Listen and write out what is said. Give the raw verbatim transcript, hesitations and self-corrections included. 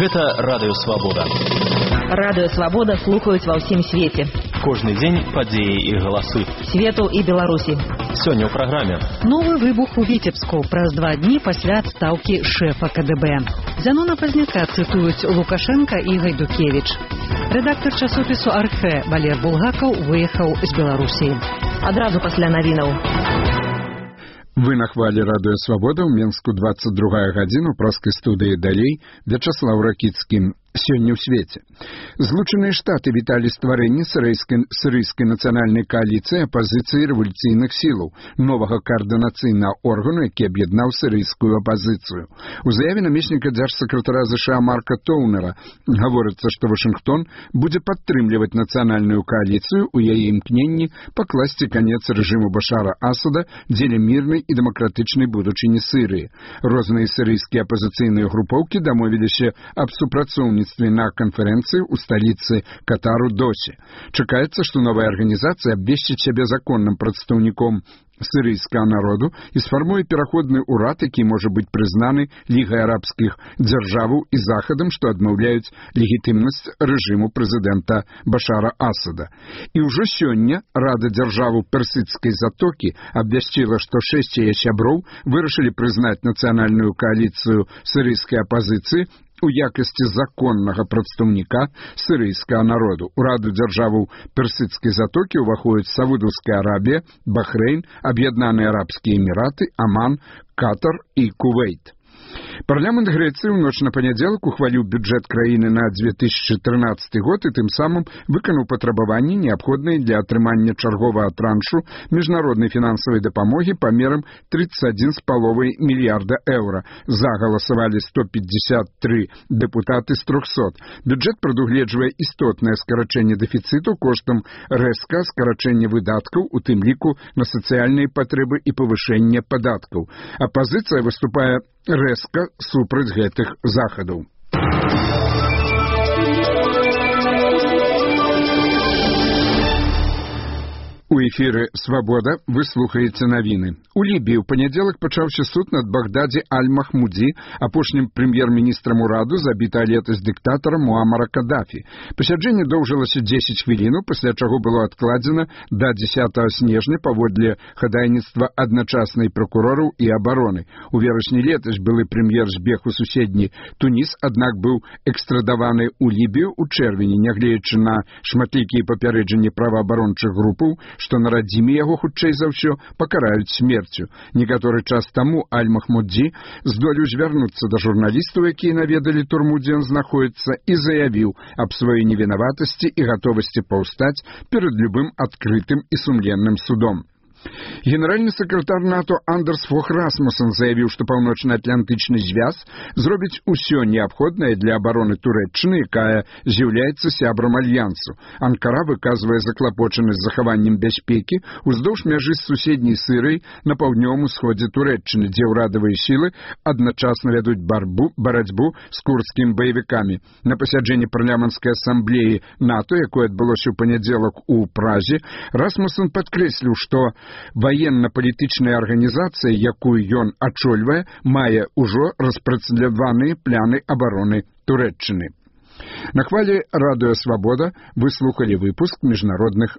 Гэта Радыё Свабода. Радыё Свабода слухаюць ва ўсім свеце. Кожны дзень падзеі і галасы. Свету і Беларусі. Сёння ў праграме. Новы выбух у Віцебску праз два дні пасля адстаўкі шэфа ка дэ бэ. Зянона Пазняка цытуюць Лукашенка і Гайдукевіч. Рэдактар часопісу «Архэ» Валер Булгакаў выехаў з Беларусі. Адразу пасля навінаў. Вы на хвале Радыё Свабода ў Менску двадцать другая гадзіна ў праскай студыі далей Вячаслаў Ракіцкі. Сёння ў свеце. Злучаныя Штаты віталі стварэнне сірыйскай, сірыйскай нацыянальнай кааліцыі апазіцыі рэвалюцыйных сілаў, новага каардынацыйнага органу, які аб'яднаў сірыйскую апазіцыю. У заяве намесніка дзяржсакратара ЗША Марка Тоўнера гаворыцца, што Вашынгтон будзе падтрымліваць нацыянальную кааліцыю ў яе імкненні пакласці канец рэжыму Башара Асада дзеля мірнай і дэмакратычнай будучыні Сірыі. Розныя сірыйскія апазіцыйныя групоўкі дамовіліся аб супрацоўніцтве на конференции у столицы Катару Досе. Чакаецца, што новая арганізацыя абвесціць сябе законным прадстаўніком сірыйскага народу і сфармуе пераходны ўрад, які можа быць прызнаны Лігай арабскіх дзяржаваў і Захадам, што адмаўляюць легітымнасць рэжыму прэзідэнта Башара Асада. І ўжо сёння Рада дзяржаваў Персідскай затокі абвясціла, што шэсць яе сяброў вырашылі прызнаць нацыянальную кааліцыю сірыйскай апазіцыі у якасці законнага прадстаўніка сірыйскага народу. У Раду дзяржаваў Персідскай затокі ўваходзяць Саудаўская Арабія, Бахрэйн, Аб'яднаныя Арабскія Эміраты, Аман, Катар і Кувейт. Парламент Грэцыі ў ноч на панядзелак ухваліў бюджэт краіны на две тысячи трынаццаты год і тым самым выканаў патрабаванні, неабходныя для атрымання чарговага траншу міжнароднай фінансавай дапамогі памерам тридцать один з паловай мільярда еўра. За галасавалі сто пятьдесят три дэпутаты з трохсот. Бюджэт прадугледжвае істотнае скарачэнне дэфіцыту коштам рэзка скарачэння выдаткаў, у тым ліку на сацыяльныя патрэбы і павышэнне падаткаў. Апазіцыя выступае рэзка супраць гэтых захадаў. У эфіры «Свабода» вы слухаеце навіны. У Лібіі ў панядзелак пачаўся суд над Багдадзе Аль-Махмудзі, апошнім прэм'ер-міністрам ураду, забіта летась дыктатарам Муамара Кадафі. Пасяджэнне доўжылася дзесяць хвілінаў, пасля чаго было адкладзена да дзесятага снежня паводле хадайніцтва адначаснай пракурораў і абароны. У верасні летась былы прэм'ер збег у суседні Туніс, аднак быў экстрадаваны ў Лібію ў чэрвені, нягледзячы на шматлікія папярэджанні праваабарончых групаў, што на радзіме яго, хутчэй за ўсё, пакараюць смерцю. Некаторы час таму Аль-Махмудзі здолеў звярнуцца да журналістаў, якія наведалі турму, дзе ён знаходіцца, і заявіў аб сваёй невінаватасці і гатовасці паўстаць перад любым адкрытым і сумленным судом. Генеральны сакратар НАТО Андерс Фог Расмуссен заявіў, што паўночна-атлантычны звяз зробіць усё неабходнае для абароны Турэччыны, якая з'яўляецца сябрам альянсу. Анкара выказвае заклапочанасць захаваннем бяспекі уздоўж мяжы з суседняй Сірыяй на паўднёвым усходзе Турэччыны, дзе ўрадавыя сілы адначасна вядуць барбу, барацьбу з курдскімі баевікамі. На пасяджэнні парламенцкай асамблеі НАТО, якое адбылося ў панядзелак у Празе, Расмуссен падкрэсліў, што ваенна-палітычная арганізацыя, якую ён ачольвае, мае ўжо распрацаваныя пляны абароны Турэччыны. На хвале Радыё Свабода вы слухалі выпуск міжнародных